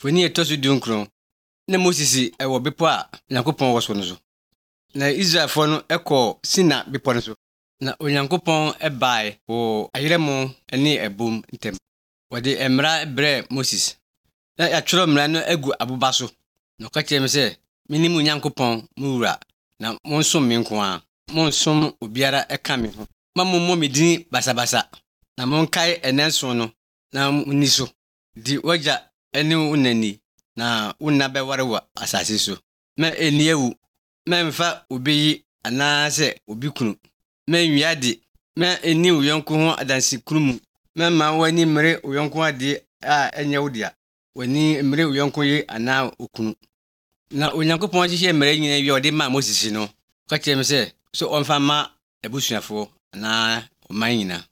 Foni etosu dunkron. Na Moses ewo bepo a Onyankopon wo so no so. Na Israelfo no ekọ Sina bepo no so. Na Onyankopon ebae wo ayeremo ne ebom ntem. Wode emra bre Moses. Na ya tworo mra no agu aboba so. Na ka kire me se minim Onyankopon muwura na monsom me nko a. Monsom obiara eka me ho. Ma mommo medin basabasa. Na monkae enenso no na muniso. Di waja ene unani na unna be warewa asase so. Me eniewu. Me mfa obeyi anase obikunu. Me nwiade. Me eni uyonko ho adansi kurumu. Me ma wani mere uyonko ade a enye wodia. Wani mere uyonko ye ana okunu. Na Onyankopon hihye mere nyina wi ode ma Moses no. Ka kire me se so onfa ma ebusuafo na o man nyina.